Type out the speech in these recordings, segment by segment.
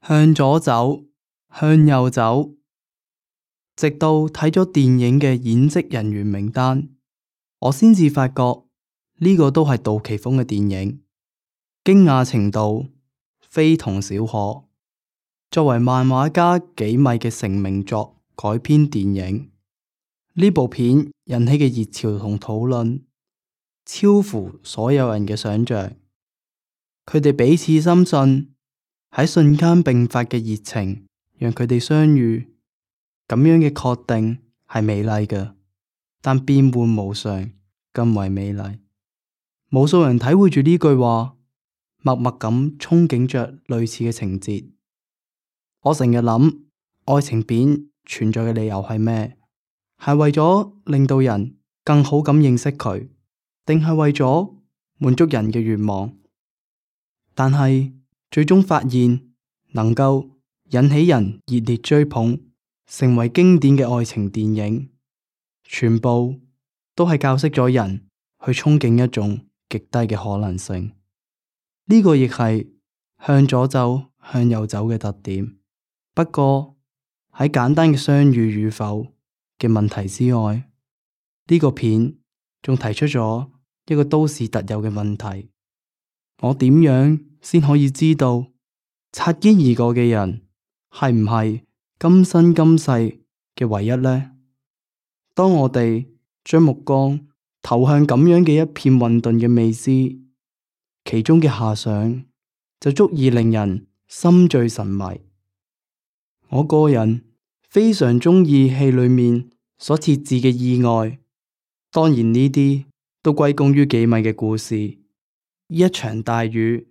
向左走，向右走，直到睇咗電影嘅演職人員名單，我先至發覺呢個都係杜琪峰嘅電影，驚訝程度非同小可。作為漫畫家幾米嘅成名作改編電影，呢部片引起嘅熱潮同討論超乎所有人嘅想象。佢哋彼此深信，喺瞬間迸發嘅熱情讓佢哋相遇，咁樣嘅確定係美麗嘅，但變幻無常更為美麗。無數人體會住呢句話，默默咁憧憬着類似嘅情節。我成日諗，愛情片存在嘅理由係咩？係為咗令到人更好咁認識佢，定係為咗滿足人嘅願望？但係最終發現，能夠引起人熱烈追捧，成為經典嘅愛情電影，全部都係教識咗人去憧憬一種極低嘅可能性。呢個亦係向左走，向右走嘅特點。不過喺簡單嘅相遇與否嘅問題之外，呢個片仲提出咗一個都市特有嘅問題：我點樣先可以知道擦肩而過嘅人係唔係今生今世嘅唯一呢？當我哋將目光投向咁樣嘅一片混沌嘅未知，其中嘅遐想就足以令人心醉神迷。我個人非常鍾意戲裏面所設置嘅意外，當然呢啲都歸功於幾米嘅故事。一場大雨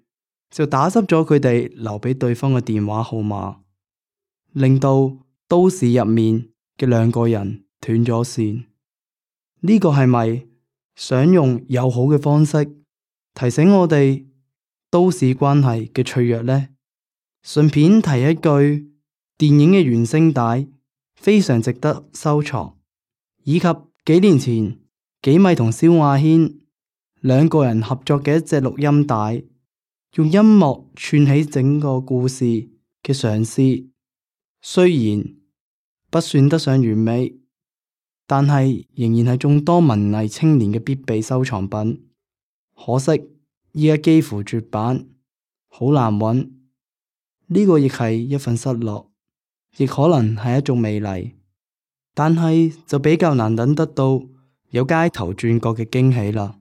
就打濕咗佢哋留俾對方嘅電話號碼，令到都市入面嘅兩個人斷咗線。呢個係咪想用友好嘅方式提醒我哋都市關係嘅脆弱呢？順便提一句，電影嘅原聲帶非常值得收藏，以及幾年前幾米同蕭亞軒兩個人合作嘅一隻錄音帶，用音樂串起整個故事嘅嘗試。雖然不算得上完美，但係仍然係眾多文藝青年嘅必備收藏品。可惜依家幾乎絕版，好難揾。呢個亦係一份失落，亦可能係一種美麗，但係就比較難等得到有街頭轉角嘅驚喜啦。